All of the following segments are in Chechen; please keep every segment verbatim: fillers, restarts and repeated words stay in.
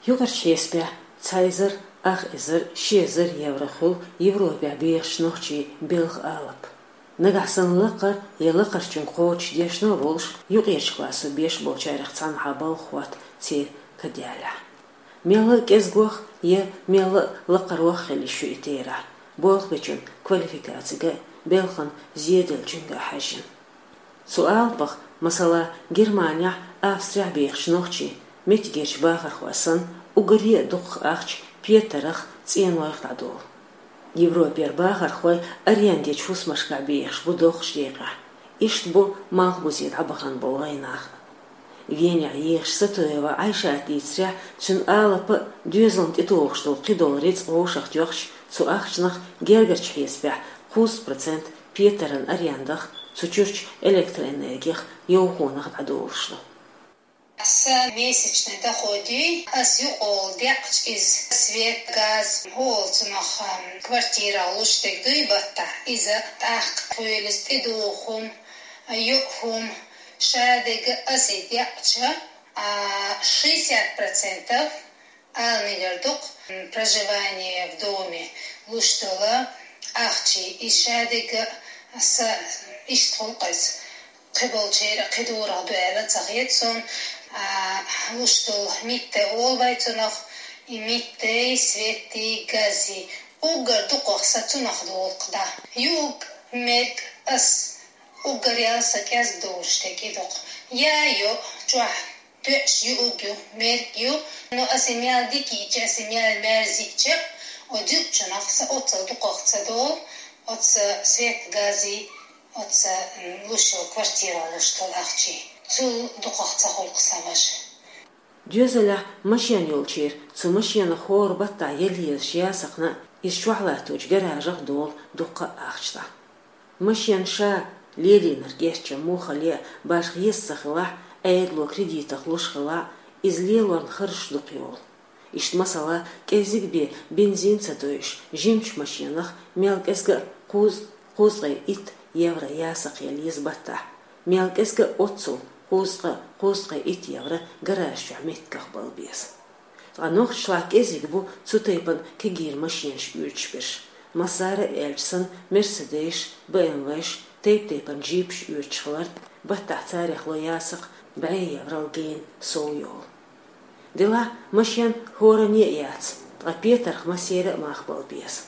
Юкъарчу хьесапехь цхьа эзар ах эзар ши эзар евро хуьлу Европехь бехачу нохчийн белхан алапа. Нагахь санна лакхара я лакхарчуьнга кхочуш дешна а волуш, юкъерчу классо беш болчарех цхьанхьа балха хӀотта церан каделлехь. Мелла а кӀезгох я мелла а лакхарох хила йиш ю и терахь, болх бечун квалификацига а, белхан зеделлачуьнга а хьаьжжина. Цу алапах, масала, Германехь, Австрехь бехачу нохчийн, меттигерчу бахархойн санна, уггаре а дукхах ахча петарх, цӀенойх дӀадолу. Европера бахархой арендечу хӀусамашкахь бехаш бу доккхачу декъехь. Иштта бу Малхбузе дӀабахана болу вайнах а. Венехь ехаш Сатуева Ӏайшата дийцарехь, цуьнан алапа а, доьзална тӀетухуш долу кхидолу рицкъ вовшах тоьхча, цу ахчанах гергарчу хьесапехь кхузткъа процент петаран арендах, цу чуьрчу электроэнергих, йовхонах дӀадолуш ду. Сан месячный доход юй, ас юкъахула декъча иза свет, газ, хӀу олу цунах, ам, квартирах луш дерг дуй баттахь, иза тӀаккха хуьлу иза тӀедугӀу хӀума, йоӀ хӀума, ша дерг ас и декъча, а, шестьдесят процентов ала мегар ду-кх, м, проживание в доме луш долу ахча, и ша дерг а, аса иштта хуьлу-кх иза. Кхиболчеран а кхин дурах ду аьлла ца хета суна, а, луш долу митта олу вай цунах, и миттай, светий, газий, уггар дукхах сан цунах долу-кх дӀа. Юург, мерг ас уггар ял сан кӀезга долуш дерг и ду-кх. Я йоӀ, чохь доьӀуш юург ю, мерг ю, но аса и мел дика йича, аса и мел мерза йича, оцу юкъачунах сан оццул дукхах ца долу, оцу свет, газий, оцу, м, луш йолу квартирах луш долу ахчий. Цул дукхах ца хуьлу-кх сан важа. Доьзалехь машен йолчеран цу машенах хӀора баттахь яла езаш ясакхна а, иза чохь латточу гаражах а долу дуккха а ахча дӀа. Машен ша лелийнарг гечдина муха ле а, башха еза ца хилахь, Ӏедало кредитах луш хилахь, иза лелорна харжаш дукха йолу. Иштта, масала, кӀеззиг бен бензин ца дойуш, жимачу машенах мел кӀезга а кхузткъе, кхузткъе итт евро ясакх яла еза баттахь, мел кӀезга а оццул, кхузткъе, кхузткъе итт евро гараж чохь меттигах бала беза. Ткъа нохчашлахь кӀезиг бу цу тайпана кегийра машенаш оьцуш берш. Массара а аьлча санна, Мерседесаш, БМВш, тайп-тайпана джипаш оьцуш хиларна, баттахь царех ло ясакх бӀе еврал гена сов йолу. Делахь, машен хӀоранна а яц, ткъа петарх массеран а мах бала беза.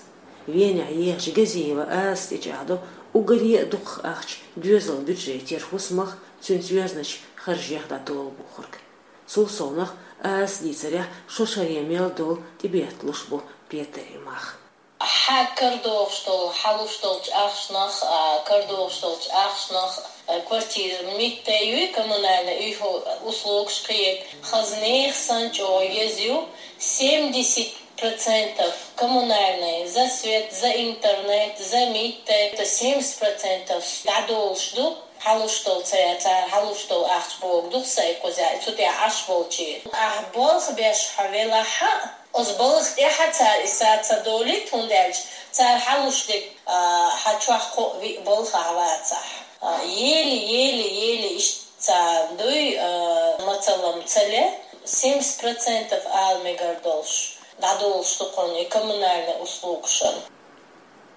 Венехь ехачу Газиева Азас тӀечӀагӀдо уггаре а дукхах ахча доьзалан бюджетера хӀусамах, цуьнца йоьзначу харжех дӀадолу бохург. Цул совнаха, Азас дийцарехь, шо шаре мел долу тӀебетталуш бу петарийн мах. Хьан карадогӀуш долу, хьан луш долчу ахчанах а, карадогӀуш долчу ахчанах а, квартира миттай юй, коммунальная, уьйхьу услугаш кхиерг, хаза нехан санна чӀогӀа еза ю, семьдесят процентов коммунальная, за свет, за интернет, за миттай, это семьдесят процентов дӀадолуш ду. Хьалуш долу ца яц, цара хьалуш долу ахча богу ду-кх сайн кхузахь, цу тӀехь Ӏаш болчийн. Ахь болх беш хьо велахь а, оцу балха тӀехь а цара и са ца долуьйту, хӀунда аьлча цара хьалуш дерг, а, хьан чохь кхоъ-виъ балхахь вацахь. А, еле, еле, еле иштта царна дуй, а, мацалла ца ле, семьдесят процентов ала мегар долуш, дӀадолуш ду кхунна и коммунальный услугашна.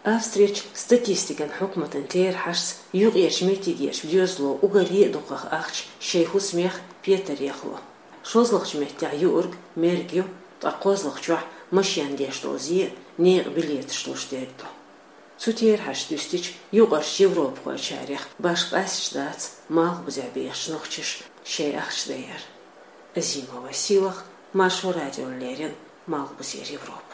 Австрерчу статистикан хьукматан терахьашца, юкъерчу меттигерчу доьзало уггаре а дукхах ахча шайн хӀусамех, петарех ло. ШозлагӀчу меттехь юург мерг ю, ткъа кхозлагӀчохь машен деш долу зе а, некъан билеташ луш дерг ду. Цу терахьашца дуьстича, юкъарчу европахойчарех башха къаьсташ дац Малхбузехь бехачу нохчаша шайн ахча дан яр. Азимова Сийлаха, Маршо радиона леррина, Малхбузера Европа.